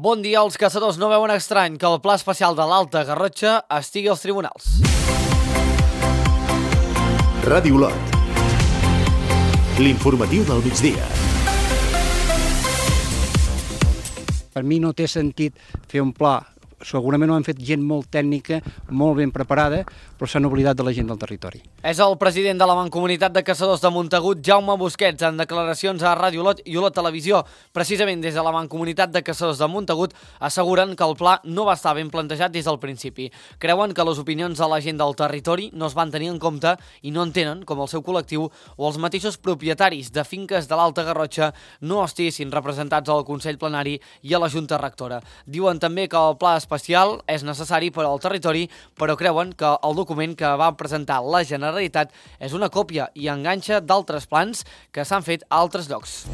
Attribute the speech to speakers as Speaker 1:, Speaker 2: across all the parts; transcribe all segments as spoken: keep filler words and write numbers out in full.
Speaker 1: Bon dia, els caçadors no veuen estrany que el Pla Especial de l'Alta Garrotxa estigui als tribunals.
Speaker 2: Ràdio Olot. L'informatiu del migdia.
Speaker 3: Per mi no té sentit fer un pla. Segurament ho han fet gent molt tècnica, molt ben preparada, però s'han oblidat de la gent del territori.
Speaker 1: És el president de la Mancomunitat de Caçadors de Montagut, Jaume Busquets, en declaracions a Ràdio Olot i Olot Televisió. Precisament des de la Mancomunitat de Caçadors de Montagut asseguren que el pla no va estar ben plantejat des del principi. Creuen que les opinions de la gent del territori no es van tenir en compte i no entenen com el seu col·lectiu o els mateixos propietaris de finques de l'Alta Garrotxa no estiguessin representats al Consell Plenari i a la Junta Rectora. Diuen també que el pla especial és necessari per al territori, però creuen que el document que va presentar la Generalitat és una còpia i enganxa d'altres plans que s'han fet a altres llocs.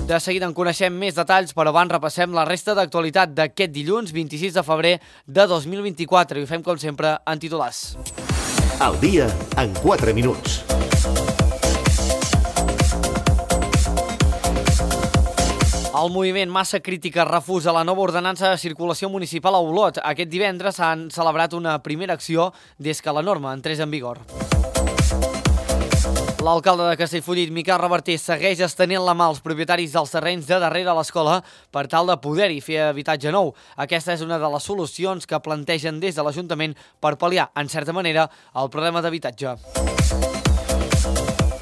Speaker 1: De seguida en coneixem més detalls, però abans repassem la resta d'actualitat d'aquest dilluns vint-i-sis de febrer de dos mil vint-i-quatre i ho fem com sempre en titulars.
Speaker 2: Al dia en quatre minuts.
Speaker 1: El moviment Massa Crítica refusa la nova ordenança de circulació municipal a Olot. Aquest divendres s'han celebrat una primera acció des que la norma entrés en vigor. L'alcalde de Castellfollit, Miquel Reverter, segueix estenent la mà als propietaris dels terrenys de darrere l'escola per tal de poder-hi fer habitatge nou. Aquesta és una de les solucions que plantegen des de l'Ajuntament per pal·liar, en certa manera, el problema d'habitatge.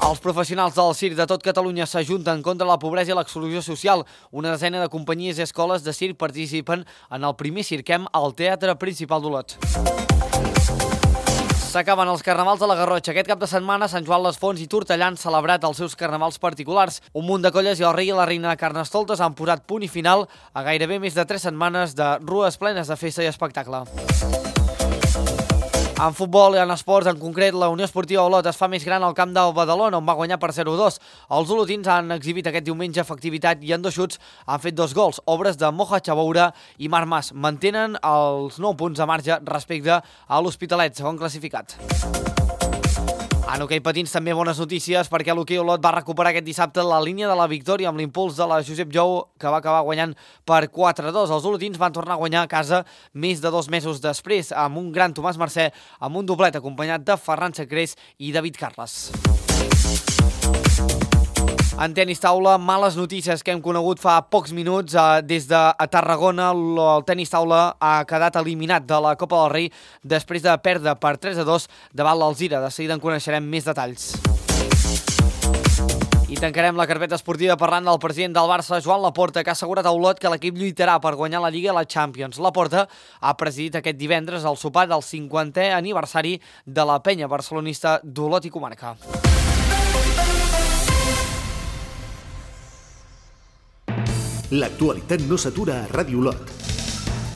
Speaker 1: Els professionals del circ de tot Catalunya s'ajunten contra la pobresa i l'exclusió social. Una desena de companyies i escoles de circ participen en el primer Cirquem al Teatre Principal d'Olot. S'acaben els carnavals de la Garrotxa. Aquest cap de setmana, Sant Joan les Fonts i Tortellà han celebrat els seus carnavals particulars. Un munt de colles i el rei i la reina de Carnestoltes han posat punt i final a gairebé més de tres setmanes de rues plenes de festa i espectacle. En futbol i en esports, en concret, la Unió Esportiva Olot es fa més gran al camp del Badalona, on va guanyar per zero a dos. Els olotins han exhibit aquest diumenge efectivitat i en dos xuts han fet dos gols, obres de Moja Chaboura i Marc Mas. Mantenen els nou punts de marge respecte a l'Hospitalet, segon classificat. En hoquei patins també bones notícies perquè l'hoquei Olot va recuperar aquest dissabte la línia de la victòria amb l'impuls de la Josep Jou, que va acabar guanyant per quatre a dos. Els olotins van tornar a guanyar a casa més de dos mesos després amb un gran Tomàs Mercè, amb un doblet acompanyat de Ferran Sacrés i David Carles. En tenis taula, males notícies que hem conegut fa pocs minuts. Des de Tarragona, el tenis taula ha quedat eliminat de la Copa del Rei després de perdre per tres a dos davant l'Alzira. De seguida en coneixerem més detalls. I tancarem la carpeta esportiva parlant del president del Barça, Joan Laporta, que ha assegurat a Olot que l'equip lluitarà per guanyar la Lliga i la Champions. Laporta ha presidit aquest divendres el sopar del cinquantè aniversari de la penya barcelonista d'Olot i comarca.
Speaker 2: L'actualitat no s'atura a Ràdio Olot.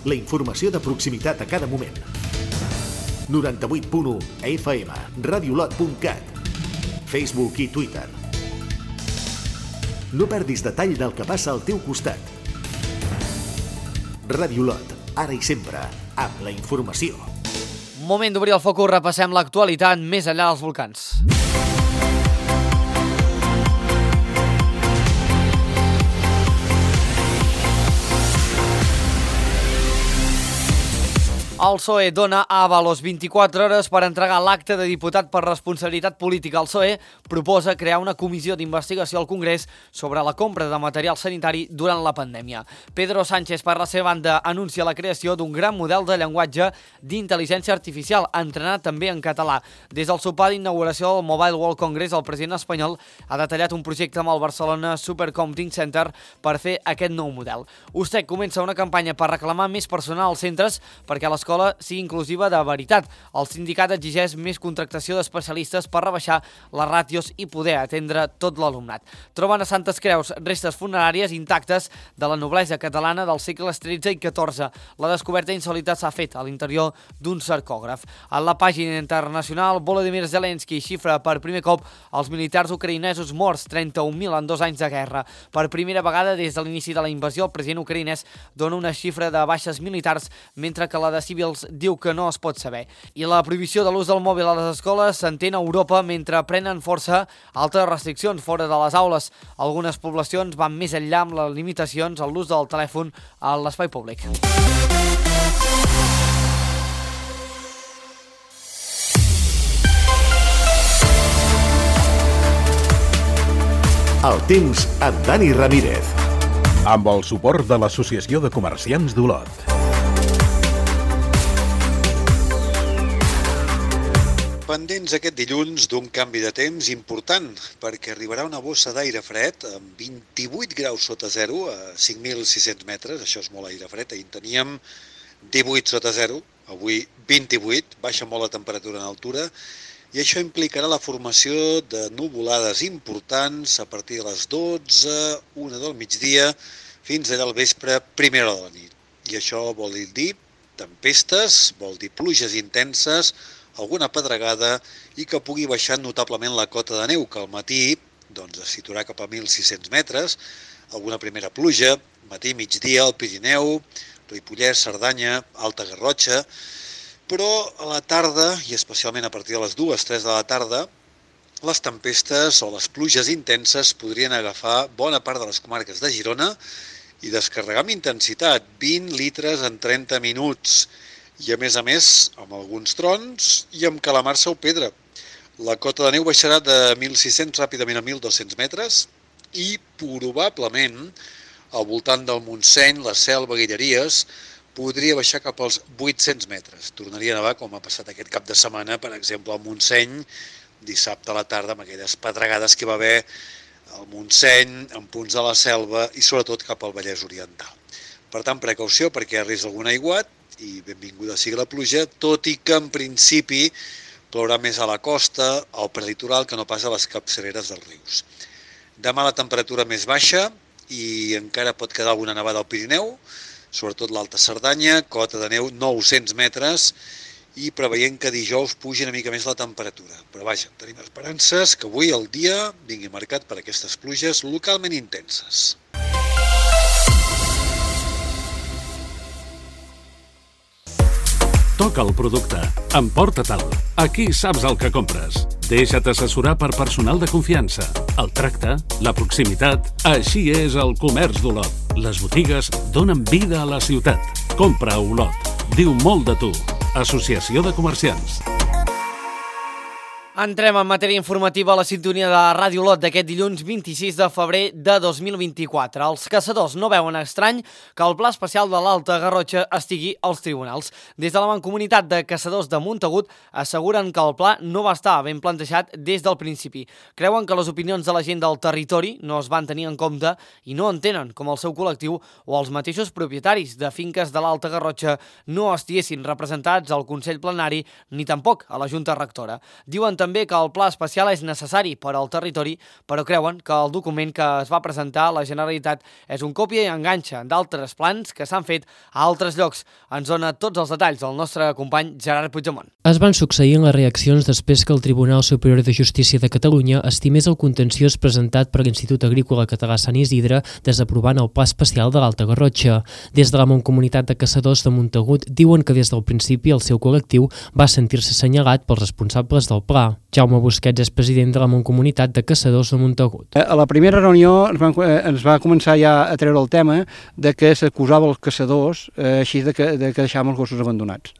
Speaker 2: La informació de proximitat a cada moment. noranta-vuit punt u F M, radiolot punt cat, Facebook i Twitter. No perdis detall del que passa al teu costat. Ràdio Olot, ara i sempre, amb la informació.
Speaker 1: Moment d'obrir el focus, repassem l'actualitat més enllà dels volcans. El P S O E dona a Ábalos vint-i-quatre hores per entregar l'acte de diputat per responsabilitat política. El P S O E proposa crear una comissió d'investigació al Congrés sobre la compra de material sanitari durant la pandèmia. Pedro Sánchez, per la seva banda, anuncia la creació d'un gran model de llenguatge d'intel·ligència artificial, entrenat també en català. Des del sopar d'inauguració del Mobile World Congress, el president espanyol ha detallat un projecte amb el Barcelona Supercomputing Center per fer aquest nou model. USTEC comença una campanya per reclamar més personal als centres perquè l'escola sigui inclusiva de veritat. El sindicat exigeix més contractació d'especialistes per rebaixar les ràtios i poder atendre tot l'alumnat. Troben a Santes Creus restes funeràries intactes de la noblesa catalana dels segles tretze i catorze. La descoberta insòlita s'ha fet a l'interior d'un sarcògraf. En la pàgina internacional, Volodymyr Zelensky xifra per primer cop els militars ucraïnesos morts, trenta-un mil en dos anys de guerra. Per primera vegada des de l'inici de la invasió, el president ucraïnès dona una xifra de baixes militars, mentre que la de civils civils diu que no es pot saber. I la prohibició de l'ús del mòbil a les escoles s'entén a Europa mentre prenen força altres restriccions fora de les aules. Algunes poblacions van més enllà amb les limitacions a l'ús del telèfon a l'espai públic.
Speaker 2: El temps amb Dani Ramírez.
Speaker 4: Amb el suport de l'Associació de Comerciants d'Olot.
Speaker 5: Pendents aquest dilluns d'un canvi de temps important, perquè arribarà una bossa d'aire fred amb vint-i-vuit graus sota zero a cinc mil sis-cents metres, això és molt aire fred, ahir teníem divuit sota zero, avui vint-i-vuit, baixa molt la temperatura en altura, i això implicarà la formació de nuvolades importants a partir de les dotze, una del migdia, fins allà al vespre, primera hora de la nit. I això vol dir tempestes, vol dir pluges intenses, alguna pedregada i que pugui baixar notablement la cota de neu, que al matí doncs, es situarà cap a mil sis-cents metres, alguna primera pluja, matí, migdia, al Pirineu, Ripollès, Cerdanya, Alta Garrotxa, però a la tarda, i especialment a partir de les dues tres de la tarda, les tempestes o les pluges intenses podrien agafar bona part de les comarques de Girona i descarregar amb intensitat, vint litres en trenta minuts, i a més a més amb alguns trons i amb calamarsa o pedra. La cota de neu baixarà de mil sis-cents ràpidament a mil dos-cents metres i probablement al voltant del Montseny, la Selva, Guilleries, podria baixar cap als vuit-cents metres. Tornaria a nevar com ha passat aquest cap de setmana, per exemple, al Montseny, dissabte a la tarda, amb aquelles pedregades que va haver al Montseny, en punts de la Selva i sobretot cap al Vallès Oriental. Per tant, precaució perquè hi ha risc d'algun aiguat i benvinguda sigui la pluja, tot i que en principi plourà més a la costa, al prelitoral, que no pas a les capçaleres dels rius. Demà la temperatura més baixa i encara pot quedar alguna nevada al Pirineu, sobretot l'Alta Cerdanya, cota de neu nou-cents metres i preveient que dijous pugi una mica més la temperatura. Però vaja, tenim esperances que avui el dia vingui marcat per aquestes pluges localment intenses.
Speaker 6: Toca el producte. Emporta-te'l. Aquí saps el que compres. Deixa't assessorar per personal de confiança. El tracte, la proximitat, així és el comerç d'Olot. Les botigues donen vida a la ciutat. Compra a Olot. Diu molt de tu. Associació de Comerciants.
Speaker 1: Entrem en matèria informativa a la sintonia de Ràdio Olot d'aquest dilluns vint-i-sis de febrer de dos mil vint-i-quatre. Els caçadors no veuen estrany que el Pla Especial de l'Alta Garrotxa estigui als tribunals. Des de la Mancomunitat de Caçadors de Montagut asseguren que el pla no va estar ben plantejat des del principi. Creuen que les opinions de la gent del territori no es van tenir en compte i no entenen com el seu col·lectiu o els mateixos propietaris de finques de l'Alta Garrotxa no estiguessin representats al Consell Plenari ni tampoc a la Junta Rectora. Diuen també també que el pla especial és necessari per al territori, però creuen que el document que es va presentar a la Generalitat és un còpia i enganxa d'altres plans que s'han fet a altres llocs. Ens dona tots els detalls el nostre company Gerard Puigdemont.
Speaker 7: Es van succeint les reaccions després que el Tribunal Superior de Justícia de Catalunya estimés el contenciós presentat per l'Institut Agrícola Català Sant Isidre desaprovant el Pla Especial de l'Alta Garrotxa. Des de la Mancomunitat de Caçadors de Montagut diuen que des del principi el seu col·lectiu va sentir-se assenyalat pels responsables del pla. Jaume Busquets és president de la Mancomunitat de Caçadors de Montagut.
Speaker 3: A la primera reunió ens, van, ens va començar ja a treure el tema de que s'acusava els caçadors eh, així de que, de que deixàvem els gossos abandonats.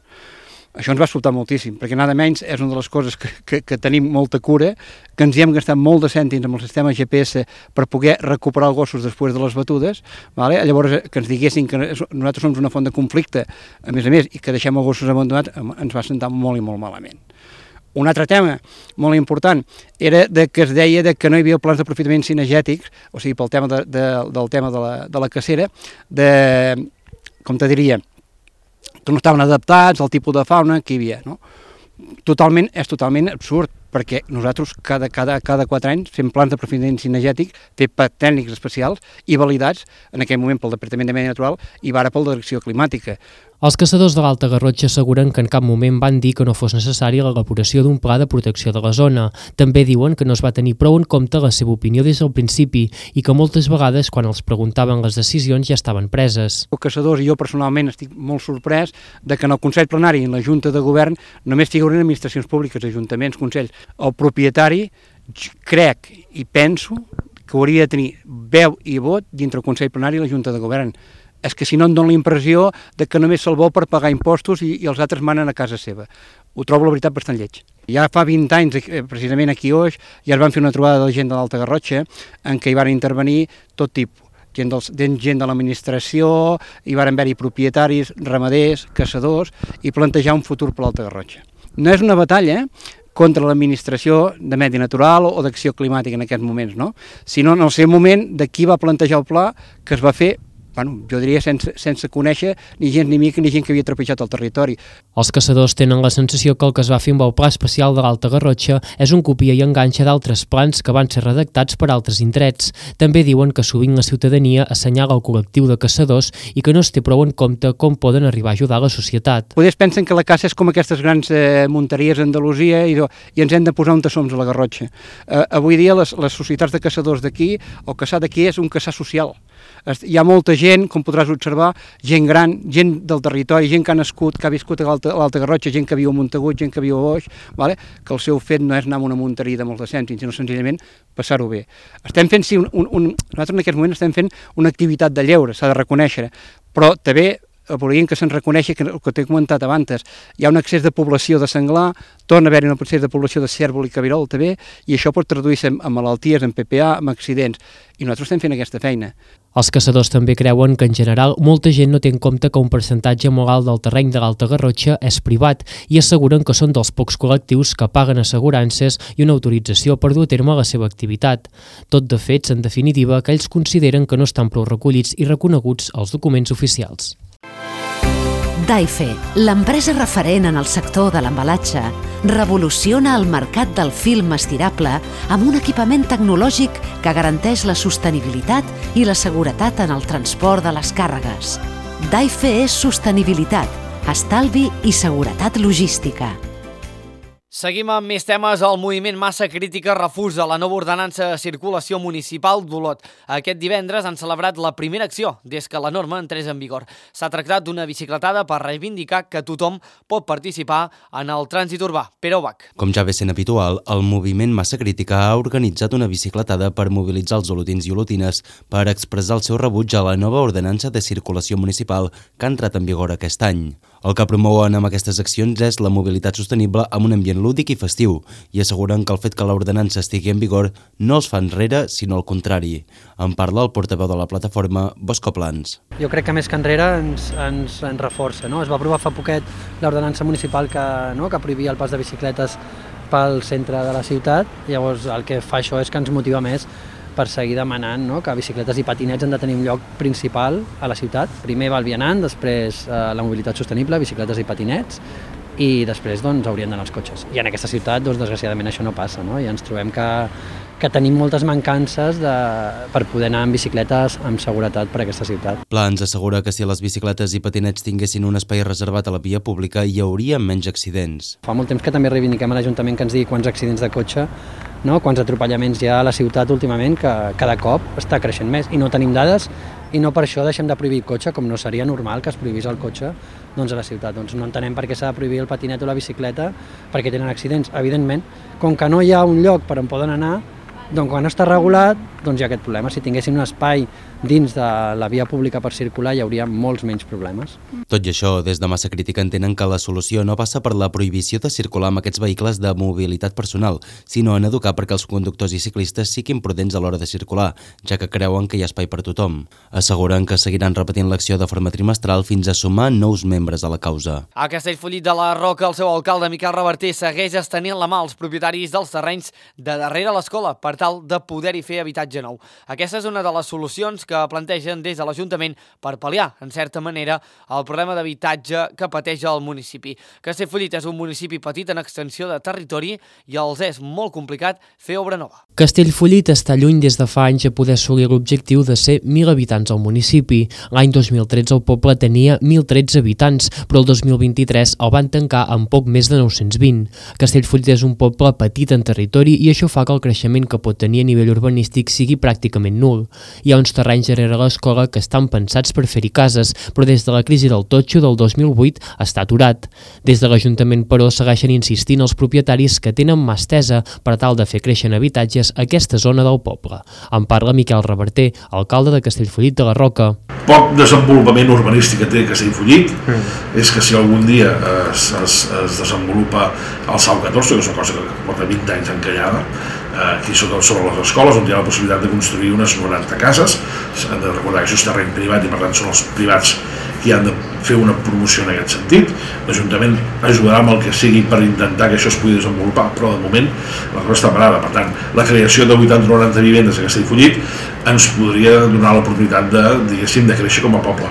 Speaker 3: Això ens va sobtar moltíssim, perquè nada menys és una de les coses que, que, que tenim molta cura, que ens hi hem gastat molt de cèntims amb el sistema G P S per poder recuperar els gossos després de les batudes, vale? Llavors que ens diguessin que nosaltres som una font de conflicte, a més a més, i que deixem els gossos abandonats, ens va sentar molt i molt malament. Un altre tema molt important era de que es deia de que no hi havia plans d'aprofitament cinegètics, o sigui, pel tema de, de, del tema de la, de la cacera, de, com te diria, que no estaven adaptats al tipus de fauna que hi havia, no? Totalment, és totalment absurd. perquè nosaltres cada, cada, cada quatre anys fem plans d'aprofitament cinegètic, fer tècnics especials i validats en aquell moment pel Departament de Medi Natural i ara per la Direcció Climàtica.
Speaker 7: Els caçadors de l'Alta Garrotxa asseguren que en cap moment van dir que no fos necessària l'elaboració d'un pla de protecció de la zona. També diuen que no es va tenir prou en compte la seva opinió des del principi i que moltes vegades, quan els preguntaven les decisions, ja estaven preses.
Speaker 3: Els caçadors i jo personalment estic molt sorprès de que en el Consell Plenari i en la Junta de Govern només figuren administracions públiques, ajuntaments, consells. El propietari, crec i penso que hauria de tenir veu i vot dintre el Consell Plenari i la Junta de Govern. És que si no em dona la impressió de que només se'l vol per pagar impostos i, i els altres manen a casa seva. Ho trobo, la veritat, bastant lleig. Ja fa vint anys, precisament aquí a Oix, ja es van fer una trobada de la gent de l'Alta Garrotxa en què hi van intervenir tot tipus. Gent, dels, gent de l'administració, hi van haver-hi propietaris, ramaders, caçadors, i plantejar un futur per l'Alta Garrotxa. No és una batalla contra l'administració de Medi Natural o d'acció climàtica en aquests moments, no? Sinó en el seu moment de qui va plantejar el pla que es va fer, bueno, jo diria sense, sense conèixer ni gent ni mica ni gent que havia trepitjat el territori.
Speaker 7: Els caçadors tenen la sensació que el que es va fer amb el Pla Especial de l'Alta Garrotxa és un copia i enganxa d'altres plans que van ser redactats per altres indrets. També diuen que sovint la ciutadania assenyala el col·lectiu de caçadors i que no es té prou en compte com poden arribar a ajudar la societat.
Speaker 3: Poders pensen que la caça és com aquestes grans eh, munteries a Andalusia i, i ens hem de posar on som a la Garrotxa. Eh, avui dia les, les societats de caçadors d'aquí, el caçar d'aquí és un caçar social. Hi ha molta gent, com podràs observar, gent gran, gent del territori, gent que ha nascut, que ha viscut a l'Alta Garrotxa, gent que viu a Montagut, gent que viu a Oix, vale? Que el seu fet no és anar a una munteria de molts de cèntims, sinó senzillament passar-ho bé. Estem fent, sí, un, un, un, nosaltres en aquest moment estem fent una activitat de lleure, s'ha de reconèixer, però també volíem que se'n reconeixi que el que t'he comentat abans, hi ha un excés de població de senglar, torna a haver-hi un excés de població de cérvol i cabirol també, i això pot traduir-se en malalties, en P P A, en accidents, i nosaltres estem fent aquesta feina.
Speaker 7: Els caçadors també creuen que en general molta gent no té en compte que un percentatge molt alt del terreny de l'Alta Garrotxa és privat i asseguren que són dels pocs col·lectius que paguen assegurances i una autorització per dur a terme la seva activitat. Tot de fets, en definitiva, que ells consideren que no estan prou recollits i reconeguts als documents oficials.
Speaker 8: Daife, l'empresa referent en el sector de l'embalatge, revoluciona el mercat del film estirable amb un equipament tecnològic que garanteix la sostenibilitat i la seguretat en el transport de les càrregues. Daife és sostenibilitat, estalvi i seguretat logística.
Speaker 1: Seguim amb més temes. El moviment Massa Crítica refusa la nova ordenança de circulació municipal d'Olot. Aquest divendres han celebrat la primera acció des que la norma entrés en vigor. S'ha tractat d'una bicicletada per reivindicar que tothom pot participar en el trànsit urbà. Pere Ubach.
Speaker 9: Com ja ve sent habitual, el moviment Massa Crítica ha organitzat una bicicletada per mobilitzar els olotins i olotines per expressar el seu rebuig a la nova ordenança de circulació municipal que ha entrat en vigor aquest any. El que promouen amb aquestes accions és la mobilitat sostenible amb un ambient lúdic i festiu i asseguren que el fet que l'ordenança estigui en vigor no els fa enrere, sinó al contrari. En parla el portaveu de la plataforma, Bosco Plans.
Speaker 10: Jo crec que més que enrere ens, ens, ens reforça. No? Es va aprovar fa poquet l'ordenança municipal que, no? que prohibia el pas de bicicletes pel centre de la ciutat. Llavors el que fa això és que ens motiva més per seguir demanant no? que bicicletes i patinets han de tenir un lloc principal a la ciutat. Primer va el vianant, després eh, la mobilitat sostenible, bicicletes i patinets, i després doncs, haurien d'anar els cotxes. I en aquesta ciutat, doncs, desgraciadament, això no passa, no? I ens trobem que, que tenim moltes mancances de, per poder anar amb bicicletes amb seguretat per aquesta ciutat.
Speaker 9: Plans assegura que si les bicicletes i patinets tinguessin un espai reservat a la via pública hi hauria menys accidents.
Speaker 10: Fa molt temps que també reivindiquem a l'Ajuntament que ens digui quants accidents de cotxe, no? quants atropellaments hi ha a la ciutat últimament, que cada cop està creixent més i no tenim dades i no per això deixem de prohibir el cotxe, com no seria normal que es prohibís el cotxe doncs, a la ciutat. Doncs no entenem per què s'ha de prohibir el patinet o la bicicleta perquè tenen accidents. Evidentment, com que no hi ha un lloc per on poden anar, doncs quan no està regulat, doncs hi ha aquest problema. Si tinguéssim un espai dins de la via pública per circular hi hauria molts menys problemes.
Speaker 9: Tot i això, des de Massa Crítica entenen que la solució no passa per la prohibició de circular amb aquests vehicles de mobilitat personal, sinó en educar perquè els conductors i ciclistes siguin prudents a l'hora de circular, ja que creuen que hi ha espai per tothom. Asseguren que seguiran repetint l'acció de forma trimestral fins a sumar nous membres a la causa.
Speaker 1: A Castellfollit de la Roca, el seu alcalde Miquel Reverter segueix estenent la mà als propietaris dels terrenys de darrere l'escola per tal de poder-hi fer habitatge habitatge nou. Aquesta és una de les solucions que plantegen des de l'Ajuntament per pal·liar, en certa manera, el problema d'habitatge que pateix el municipi. Castellfollit és un municipi petit en extensió de territori i els és molt complicat fer obra nova.
Speaker 7: Castellfollit està lluny des de fa anys a poder assolir l'objectiu de ser mil habitants al municipi. L'any dos mil tretze el poble tenia mil tretze habitants, però el dos mil vint-i-tres el van tancar amb poc més de nou-cents vint. Castellfollit és un poble petit en territori i això fa que el creixement que pot tenir a nivell urbanístic sigui pràcticament nul. Hi ha uns terrenys darrere l'escola que estan pensats per fer-hi cases, però des de la crisi del totxo del dos mil vuit està aturat. Des de l'Ajuntament, però, segueixen insistint els propietaris que tenen mà estesa per tal de fer créixer en habitatges a aquesta zona del poble. En parla Miquel Reverter, alcalde de Castellfollit de la Roca.
Speaker 11: Poc desenvolupament urbanístic que té Castellfollit mm. és que si algun dia es, es, es desenvolupa el SAU catorze, que és una cosa que porta vint anys encallada, eh, aquí sobre, sobre les escoles, on hi ha la possibilitat de construir unes noranta cases. S'han de recordar que això és terreny privat i per tant són els privats qui han de fer una promoció en aquest sentit. L'Ajuntament ajudarà amb el que sigui per intentar que això es pugui desenvolupar, però de moment la cosa està parada. Per tant, la creació de vuitanta noranta vivendes a Castellfollit ens podria donar l'oportunitat de, diguéssim, de créixer com a poble.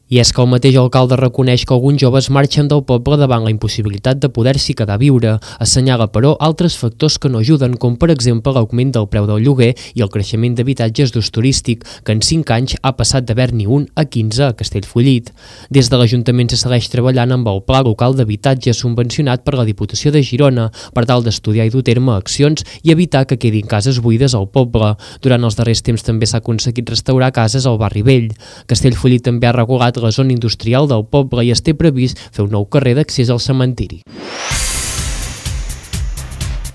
Speaker 7: I és que el mateix alcalde reconeix que alguns joves marxen del poble davant la impossibilitat de poder-s'hi quedar a viure. Assenyala, però, altres factors que no ajuden, com per exemple l'augment del preu del lloguer i el creixement d'habitatges d'ús turístic, que en cinc anys ha passat d'haver-n'hi un a quinze a Castellfollit. Des de l'Ajuntament se segueix treballant amb el Pla Local d'Habitatge subvencionat per la Diputació de Girona per tal d'estudiar i dur a terme accions i evitar que quedin cases buides al poble. Durant els darrers temps també s'ha aconseguit restaurar cases al barri vell. Castellfollit també ha regulat la zona industrial del poble i es té previst fer un nou carrer d'accés al cementiri.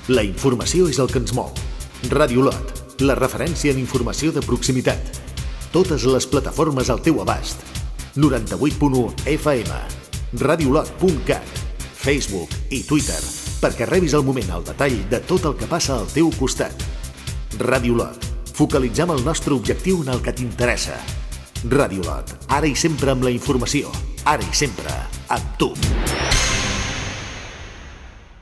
Speaker 2: La informació és el que ens mou. Ràdio Lot, la referència en informació de proximitat. Totes les plataformes al teu abast. noranta-vuit punt u F M, radiolot punt cat, Facebook i Twitter, perquè rebis al moment el detall de tot el que passa al teu costat. Ràdio Lot, focalitzem el nostre objectiu en el que t'interessa. Ràdio Lot, ara i sempre amb la informació, ara i sempre amb tu.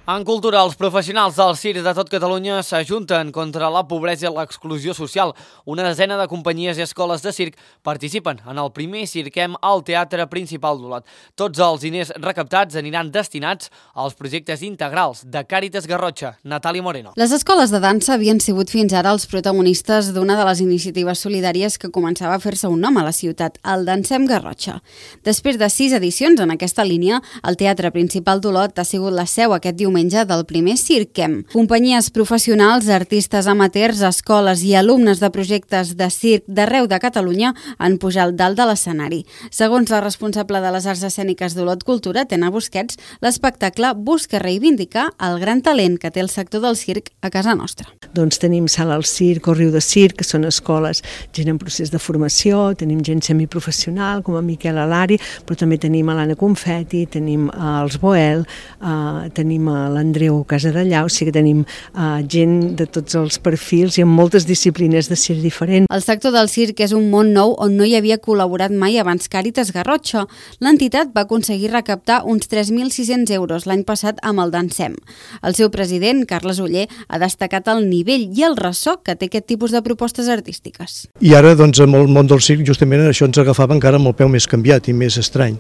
Speaker 1: En cultura, els professionals del circ de tot Catalunya s'ajunten contra la pobresa i l'exclusió social. Una desena de companyies i escoles de circ participen en el primer Cirquem al Teatre Principal d'Olot. Tots els diners recaptats aniran destinats als projectes integrals de Càritas Garrotxa. Natàlia Moreno.
Speaker 12: Les escoles de dansa havien sigut fins ara els protagonistes d'una de les iniciatives solidàries que començava a fer-se un nom a la ciutat, el Dansem Garrotxa. Després de sis edicions en aquesta línia, el Teatre Principal d'Olot ha sigut la seu aquest diumenge del primer Cirquem. Companyies professionals, artistes amateurs, escoles i alumnes de projectes de circ d'arreu de Catalunya han pujat dalt de l'escenari. Segons la responsable de les arts escèniques d'Olot Cultura, Tena Busquets, l'espectacle busca reivindicar el gran talent que té el sector del circ a casa nostra.
Speaker 13: Doncs tenim Sala al Circ o Riu de Circ, que són escoles, gent en procés de formació, tenim gent semiprofessional, com a Miquel Alari, però també tenim a l'Anna Confetti, tenim els Boel, eh, tenim a l'Andreu Casadellà, o sigui que tenim uh, gent de tots els perfils i amb moltes disciplines de circ diferents.
Speaker 12: El sector del circ és un món nou on no hi havia col·laborat mai abans Càritas Garrotxa. L'entitat va aconseguir recaptar uns tres mil sis-cents euros l'any passat amb el Dansem. El seu president, Carles Oller, ha destacat el nivell i el ressò que té aquest tipus de propostes artístiques.
Speaker 14: I ara, doncs, amb el món del circ, justament això ens agafava encara amb el peu més canviat i més estrany.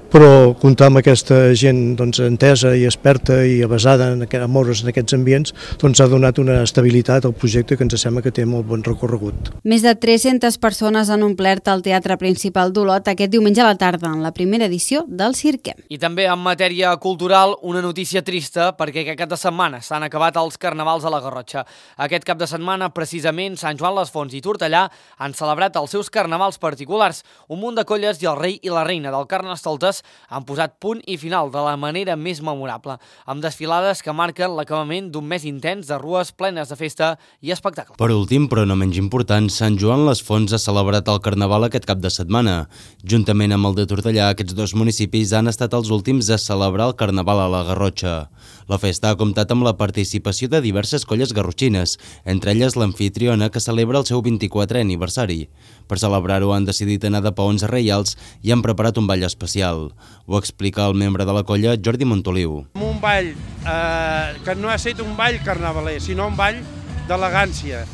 Speaker 14: Però comptar amb aquesta gent doncs, entesa i experta i avasada en a moure's en aquests ambients doncs, ha donat una estabilitat al projecte que ens sembla que té molt bon recorregut.
Speaker 12: Més de tres-centes persones han omplert el Teatre Principal d'Olot aquest diumenge a la tarda en la primera edició del Cirquem.
Speaker 1: I també en matèria cultural, una notícia trista perquè aquest cap de setmana s'han acabat els carnavals a la Garrotxa. Aquest cap de setmana, precisament, Sant Joan les Fonts i Tortellà han celebrat els seus carnavals particulars. Un munt de colles i el rei i la reina del Carnestoltes han posat punt i final de la manera més memorable, amb desfilades que marquen l'acabament d'un mes intens de rues plenes de festa i espectacle.
Speaker 9: Per últim, però no menys important, Sant Joan les Fonts ha celebrat el Carnaval aquest cap de setmana. Juntament amb el de Tortellà, aquests dos municipis han estat els últims a celebrar el Carnaval a la Garrotxa. La festa ha comptat amb la participació de diverses colles garrotxines, entre elles l'Amfitriona, que celebra el seu vint-i-quatrè aniversari. Per celebrar-ho han decidit anar de paons reials i han preparat un ball especial. Ho explica el membre de la colla, Jordi Montoliu.
Speaker 15: Un ball eh, que no ha estat un ball carnavaler, sinó un ball d'elegància,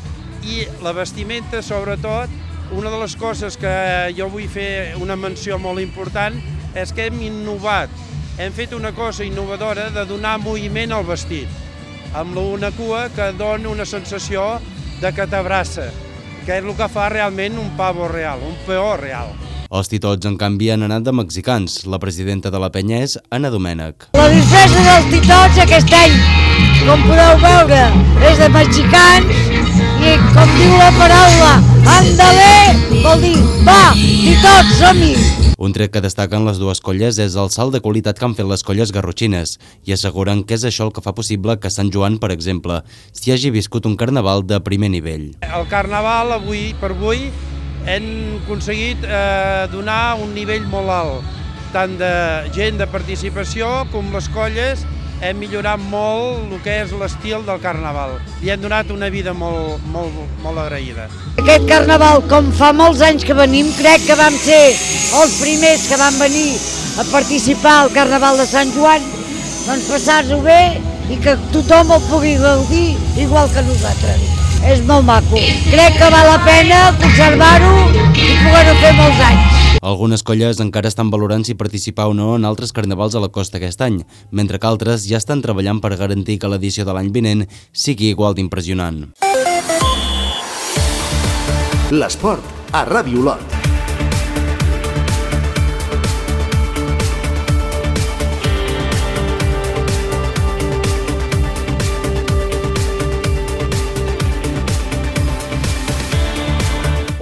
Speaker 15: i la vestimenta, sobretot, una de les coses que jo vull fer una menció molt important és que hem innovat, hem fet una cosa innovadora de donar moviment al vestit, amb una cua que dona una sensació de que t'abraça, que és el que fa realment un pavo real, un peó real.
Speaker 9: Els titots, en canvi, han anat de mexicans. La presidenta de la penya és Anna Domènech.
Speaker 16: La disfressa dels titots aquest any, com podeu veure, és de mexicans i, com diu la paraula, andale, vol dir, va, titots, som-hi!
Speaker 9: Un tret que destaquen les dues colles és el salt de qualitat que han fet les colles garrotxines i asseguren que és això el que fa possible que Sant Joan, per exemple, s'hi hagi viscut un carnaval de primer nivell.
Speaker 15: El carnaval, avui per avui, hem aconseguit eh, donar un nivell molt alt, tant de gent de participació com les colles. Hem millorat molt el que és l'estil del carnaval i hem donat una vida molt, molt, molt agraïda.
Speaker 16: Aquest carnaval, com fa molts anys que venim, crec que vam ser els primers que van venir a participar al carnaval de Sant Joan, doncs passar-ho bé i que tothom el pugui gaudir igual que nosaltres. És molt maco. Crec que val la pena conservar-ho i poder-ho fer molts anys.
Speaker 9: Algunes colles encara estan valorant si participar o no en altres carnavals a la costa aquest any, mentre que altres ja estan treballant per garantir que l'edició de l'any vinent sigui igual d'impressionant.
Speaker 2: L'esport a Ràdio Olot.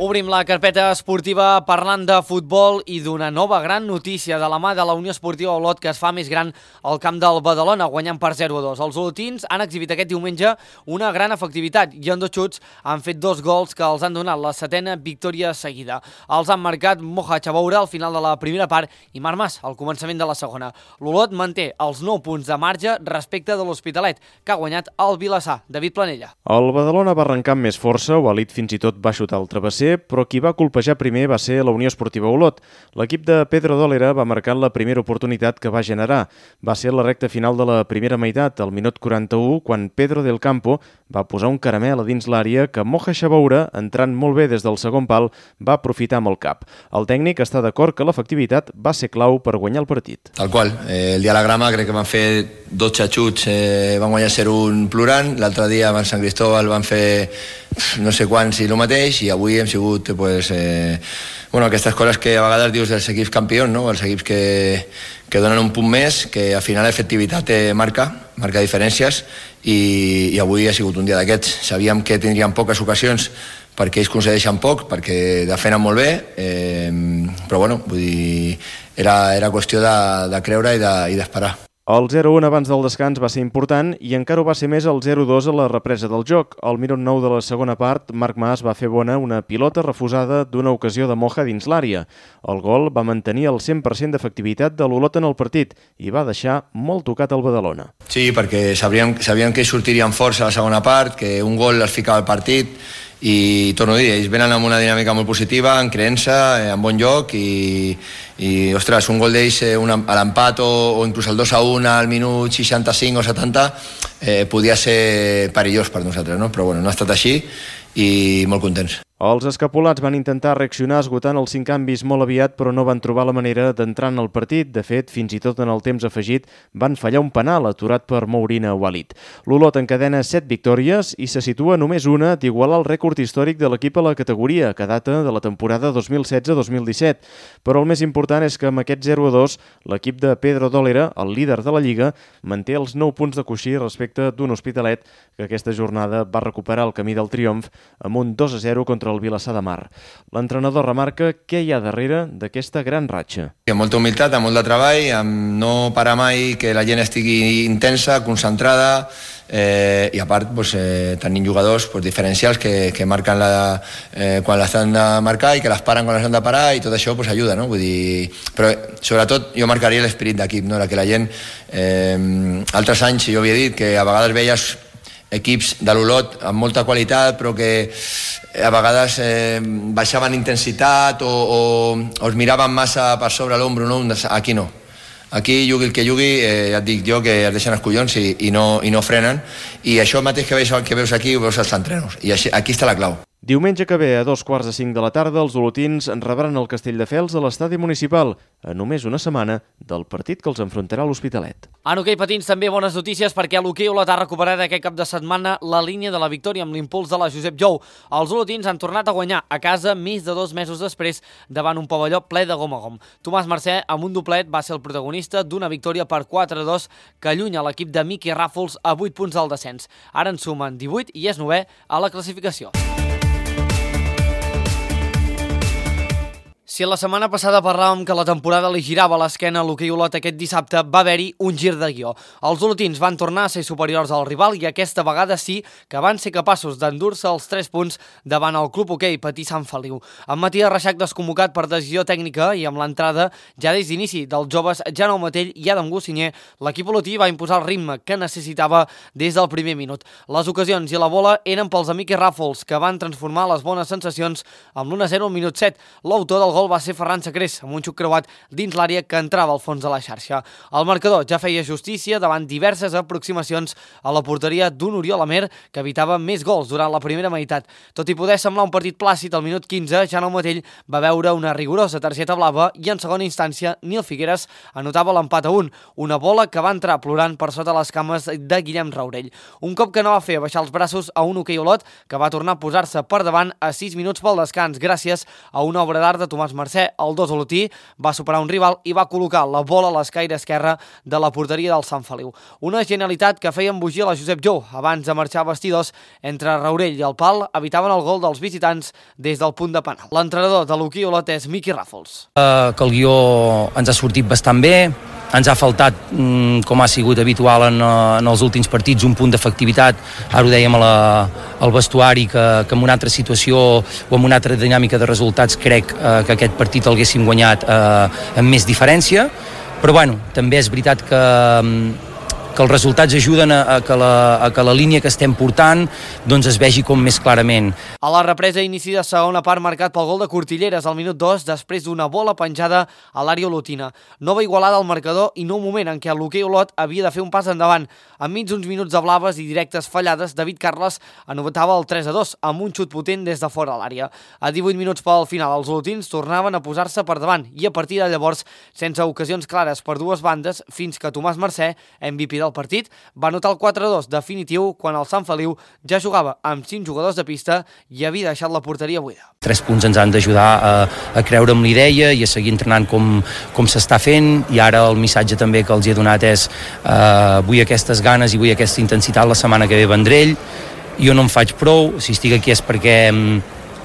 Speaker 1: Obrim la carpeta esportiva parlant de futbol i d'una nova gran notícia de la mà de la Unió Esportiva Olot, que es fa més gran al camp del Badalona, guanyant per zero a dos. Els olotins han exhibit aquest diumenge una gran efectivitat i en dos xuts han fet dos gols que els han donat la setena victòria seguida. Els han marcat Moja Chaboura al final de la primera part i Marc Mas al començament de la segona. L'Olot manté els nou punts de marge respecte de l'Hospitalet, que ha guanyat el Vilassar. David Planella.
Speaker 17: El Badalona va arrencar amb més força, o Alit fins i tot va xutar el travesser, però qui va colpejar primer va ser la Unió Esportiva Olot. L'equip de Pedro Dólera va marcar la primera oportunitat que va generar. Va ser la recta final de la primera meitat, al minut quaranta-u, quan Pedro del Campo va posar un caramel a dins l'àrea que Moja Chaboura, entrant molt bé des del segon pal, va aprofitar amb el cap. El tècnic està d'acord que l'efectivitat va ser clau per guanyar el partit.
Speaker 18: Tal qual. Eh, el diagrama crec que van fer dotze xuts, eh, van guanyar zero un plorant, l'altre dia van Sant Cristóbal van fer no sé quants i el mateix, i avui hem sigut pues, eh, bueno, aquestes coses que a vegades dius dels equips campions, no? Els equips que, que donen un punt més, que al final l'efectivitat eh, marca, marca diferències, i, i avui ha sigut un dia d'aquests. Sabíem que tindríem poques ocasions perquè ells concedeixen poc, perquè defenen molt bé, eh, però bueno, vull dir, era, era qüestió de, de creure i d'esperar. De,
Speaker 17: El zero un abans del descans va ser important i encara ho va ser més el zero dos a la represa del joc. Al minut nou de la segona part, Marc Mas va fer bona una pilota refusada d'una ocasió de Moja dins l'àrea. El gol va mantenir el cent per cent d'efectivitat de l'Olot en el partit i va deixar molt tocat el Badalona.
Speaker 18: Sí, perquè sabíem, sabíem que sortirien força a la segona part, que un gol els ficava al partit, i torno a dir, ells venen amb una dinàmica molt positiva, en creença, en bon lloc, i, i ostres, un gol d'ells eh, a l'empat o, o inclús el dos a un al minut seixanta-cinc o setanta eh, podia ser perillós per nosaltres, no? Però bueno, no ha estat així i molt contents.
Speaker 17: Els escapulats van intentar reaccionar esgotant els cinc canvis molt aviat, però no van trobar la manera d'entrar en el partit. De fet, fins i tot en el temps afegit van fallar un penal aturat per Mourina Walid. L'Olot encadena set victòries i se situa només una d'igualar el rècord històric de l'equip a la categoria, que data de la temporada dos mil setze dos mil disset. Però el més important és que amb aquest zero a dos, l'equip de Pedro Dólera, el líder de la Lliga, manté els nou punts de coixí respecte d'un Hospitalet que aquesta jornada va recuperar el camí del triomf amb un dos a zero contra el Vilassar de Mar. L'entrenador remarca què hi ha darrere d'aquesta gran ratxa.
Speaker 18: Amb molta humilitat, amb molt de treball, amb no parar mai, que la gent estigui intensa, concentrada, eh, i a part pues, eh, tenim jugadors pues, diferencials que, que marquen la, eh, quan les han de marcar i que les paren quan les han de parar, i tot això pues, ajuda, no? Vull dir, però sobretot jo marcaria l'esperit d'equip, no? La que la gent, eh, altres anys jo havia dit que a vegades veies equips de l'Olot amb molta qualitat però que a vegades eh, baixaven intensitat o, o, o es miraven massa per sobre l'ombro, no? Aquí no. Aquí jugui el que jugui, eh, ja et dic jo que es deixen els collons i, i, no, i no frenen, i això mateix que veus, que veus aquí ho veus als entrenos, i així, aquí està la clau.
Speaker 17: Diumenge que ve, a dos quarts de cinc de la tarda, els olotins rebran el Castelldefels a l'estadi municipal, a només una setmana del partit que els enfrontarà a l'Hospitalet.
Speaker 1: En hoquei patins també bones notícies perquè l'hoquei Olot ha recuperat aquest cap de setmana la línia de la victòria amb l'impuls de la Josep Jou. Els olotins han tornat a guanyar a casa més de dos mesos després davant un pavelló ple de gom a gom. Tomàs Mercè, amb un doblet, va ser el protagonista d'una victòria per quatre a dos que allunya l'equip de Miqui Ràfols a vuit punts del descens. Ara en sumen divuit i és novè a la classificació. Si la setmana passada parlàvem que la temporada li girava a l'esquena a l'hoquei Olot, aquest dissabte va haver-hi un gir de guió. Els olotins van tornar a ser superiors al rival i aquesta vegada sí que van ser capaços d'endur-se els tres punts davant el club hoquei Patí Sant Feliu. Amb Matías Reixac desconvocat per decisió tècnica i amb l'entrada ja des d'inici dels joves Jaume Matell i Adam Gossinyer, l'equip olotí va imposar el ritme que necessitava des del primer minut. Les ocasions i la bola eren pels amics Ràfols, que van transformar les bones sensacions amb l'u a zero al minut set. L'autor del gol va ser Ferran Sacrés, amb un xuc creuat dins l'àrea que entrava al fons de la xarxa. El marcador ja feia justícia davant diverses aproximacions a la porteria d'un Oriol Amer, que evitava més gols durant la primera meitat. Tot i poder semblar un partit plàcid, al minut quinze, Jaume Matell va veure una rigorosa targeta blava i en segona instància Nil Figueres anotava l'empat a un, una bola que va entrar plorant per sota les cames de Guillem Raurell. Un cop que no va fer baixar els braços a un hoquei Olot, que va tornar a posar-se per davant a sis minuts pel descans, gràcies a una obra d'art de Tomàs Mercè. El dos olotí va superar un rival i va col·locar la bola a l'escaire esquerra de la porteria del Sant Feliu. Una genialitat que feia embogir la Josep Jou. Abans de marxar a vestidors, entre Raurell i el pal evitaven el gol dels visitants des del punt de penal. L'entrenador de l'hoquei Olot és Miqui Ràfols.
Speaker 19: Uh, que el guió ens ha sortit bastant bé. Ens ha faltat, com ha sigut habitual en, en els últims partits, un punt d'efectivitat. Ara ho dèiem a la, al vestuari, que, que en una altra situació o en una altra dinàmica de resultats crec eh, que aquest partit el haguéssim guanyat eh, amb més diferència. Però bueno, també és veritat que, que els resultats ajuden a, a, que la, a que la línia que estem portant doncs es vegi com més clarament.
Speaker 1: A la represa inici de segona part marcat pel gol de Cortilleres al minut dos després d'una bola penjada a l'àrea olotina. Nova igualada al marcador i nou moment en què l'hoquei Olot havia de fer un pas endavant. Enmig d'uns minuts de blaves i directes fallades, David Carles anotava el tres a dos amb un xut potent des de fora a l'àrea. A divuit minuts pel final, els olotins tornaven a posar-se per davant i a partir de llavors, sense ocasions clares per dues bandes, fins que Tomàs Mercè, M V P del partit, va anotar el quatre a dos definitiu quan el Sant Feliu ja jugava amb cinc jugadors de pista i havia deixat la porteria buida.
Speaker 19: Tres punts ens han d'ajudar a, a creure amb l'idea i a seguir entrenant com, com s'està fent, i ara el missatge també que els he donat és eh, vull aquestes ganes i vull aquesta intensitat la setmana que ve Vendrell. Jo no en faig prou, si estic aquí és perquè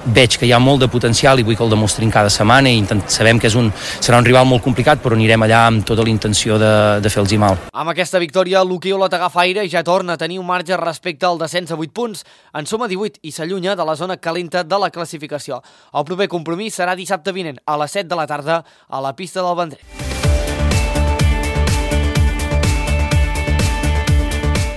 Speaker 19: veig que hi ha molt de potencial i vull que el demostrin cada setmana i intent, sabem que és un, serà un rival molt complicat, però anirem allà amb tota la intenció de, de fer-los mal.
Speaker 1: Amb aquesta victòria, l'hoquei Olot agafa aire i ja torna a tenir un marge respecte al descens a vuit punts. En suma divuit i s'allunya de la zona calenta de la classificació. El proper compromís serà dissabte vinent a les set de la tarda a la pista del Vendrell.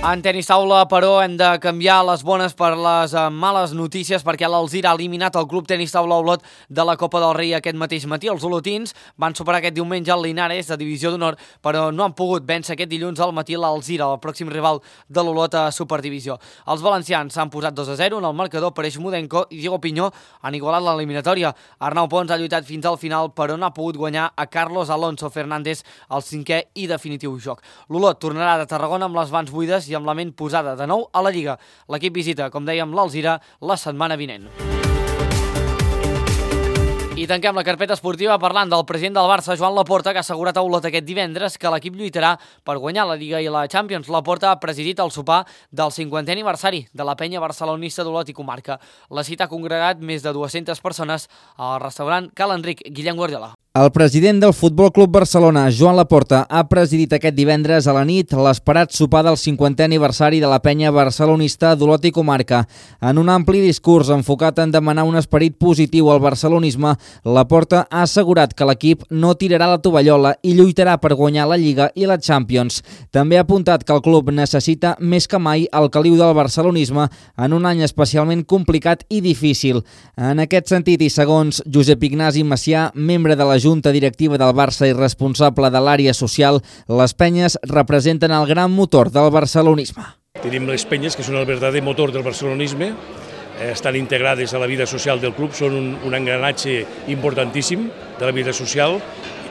Speaker 1: En tenis taula, però, hem de canviar les bones per les males notícies perquè l'Alzira ha eliminat el club tenis taula Olot de la Copa del Rei aquest mateix matí. Els olotins van superar aquest diumenge el Linares de Divisió d'Honor, però no han pogut vèncer aquest dilluns al matí l'Alzira, el pròxim rival de l'Olot a Superdivisió. Els valencians s'han posat dos a zero en el marcador, per Mudenko i Diego Pinyó han igualat l'eliminatòria. Arnau Pons ha lluitat fins al final, però no ha pogut guanyar a Carlos Alonso Fernández al cinquè i definitiu joc. L'Olot tornarà de Tarragona amb les mans buides i amb la ment posada de nou a la Lliga. L'equip visita, com dèiem, l'Alzira la setmana vinent. I tanquem la carpeta esportiva parlant del president del Barça, Joan Laporta, que ha assegurat a Olot aquest divendres que l'equip lluitarà per guanyar la Lliga i la Champions. Laporta ha presidit el sopar del cinquantè aniversari de la penya barcelonista d'Olot i comarca. La cita ha congregat més de dues-centes persones al restaurant Cal Enric Guillem Guardiola.
Speaker 20: El president del Futbol Club Barcelona, Joan Laporta, ha presidit aquest divendres a la nit l'esperat sopar del cinquantè aniversari de la penya barcelonista d'Olot i comarca. En un ampli discurs enfocat en demanar un esperit positiu al barcelonisme, Laporta ha assegurat que l'equip no tirarà la tovallola i lluitarà per guanyar la Lliga i la Champions. També ha apuntat que el club necessita més que mai el caliu del barcelonisme en un any especialment complicat i difícil. En aquest sentit, i segons Josep Ignasi Macià, membre de la junta directiva del Barça i responsable de l'àrea social, les penyes representen el gran motor del barcelonisme.
Speaker 21: Tenim les penyes, que són el verdader motor del barcelonisme, estan integrades a la vida social del club, són un, un engranatge importantíssim de la vida social,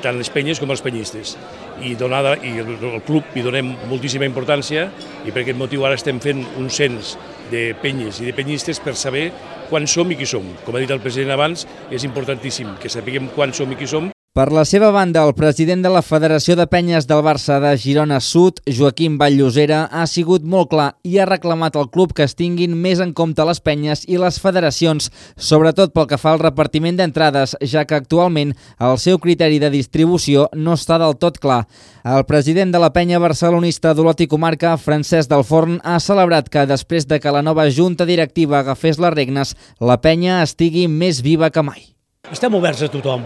Speaker 21: tant les penyes com els penyistes. I, donada, i el, el club hi donem moltíssima importància i per aquest motiu ara estem fent un cens de penyes i de penyistes per saber quan som i qui som. Com ha dit el president abans, és importantíssim que sapiguem quan som i qui som.
Speaker 20: Per la seva banda, el president de la Federació de Penyes del Barça de Girona Sud, Joaquim Vall-llosera, ha sigut molt clar i ha reclamat al club que es tinguin més en compte les penyes i les federacions, sobretot pel que fa al repartiment d'entrades, ja que actualment el seu criteri de distribució no està del tot clar. El president de la penya barcelonista d'Olot i Comarca, Francesc del Forn, ha celebrat que després de que la nova junta directiva agafés les regnes, la penya estigui més viva que mai.
Speaker 22: Estem oberts a tothom.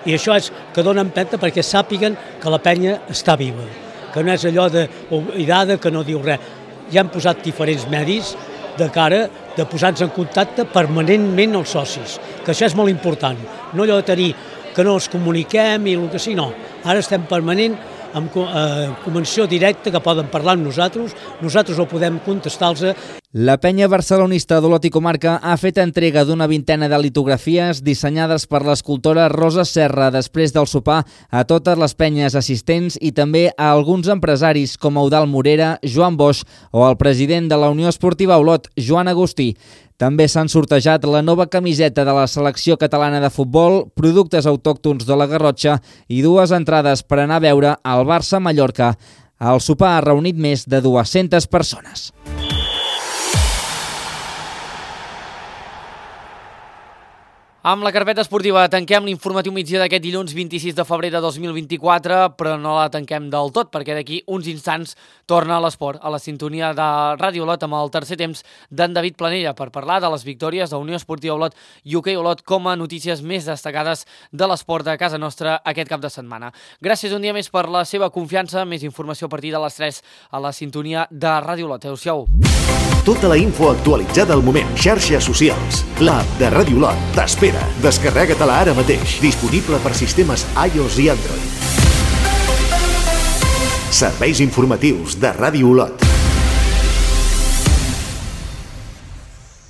Speaker 22: I això és que dona empenta perquè sàpiguen que la penya està viva, que no és allò d'oblidada, que no diu res. Ja han posat diferents medis de cara de posar-nos en contacte permanentment els socis, que això és molt important. No allò de tenir que no els comuniquem i el que sí, no. Ara estem permanent amb eh, convenció directa que poden parlar amb nosaltres, nosaltres ho podem contestar-los.
Speaker 20: La penya barcelonista d'Olot i Comarca ha fet entrega d'una vintena de litografies dissenyades per l'escultora Rosa Serra després del sopar a totes les penyes assistents i també a alguns empresaris com Eudald Morera, Joan Boix o el president de la Unió Esportiva Olot, Joan Agustí. També s'han sortejat la nova camiseta de la selecció catalana de futbol, productes autòctons de la Garrotxa i dues entrades per anar a veure el Barça-Mallorca. El sopar ha reunit més de dues-centes persones.
Speaker 1: Amb la carpeta esportiva tanquem l'informatiu migdia d'aquest dilluns vint-i-sis de febrer de dos mil vint-i-quatre, però no la tanquem del tot, perquè d'aquí uns instants torna a l'esport, a la sintonia de Ràdio Olot amb el tercer temps d'en David Planella per parlar de les victòries de Unió Esportiva Olot i Hoquei Olot com a notícies més destacades de l'esport de casa nostra aquest cap de setmana. Gràcies un dia més per la seva confiança, més informació a partir de les tres a la sintonia de Ràdio Olot. Adéu-siau.
Speaker 2: Tota la info actualitzada al moment, xarxes socials, l'app de Ràdio Olot t'espera. Descarrega-te-la ara mateix, disponible per sistemes iOS i Android. Serveis informatius de Ràdio Olot.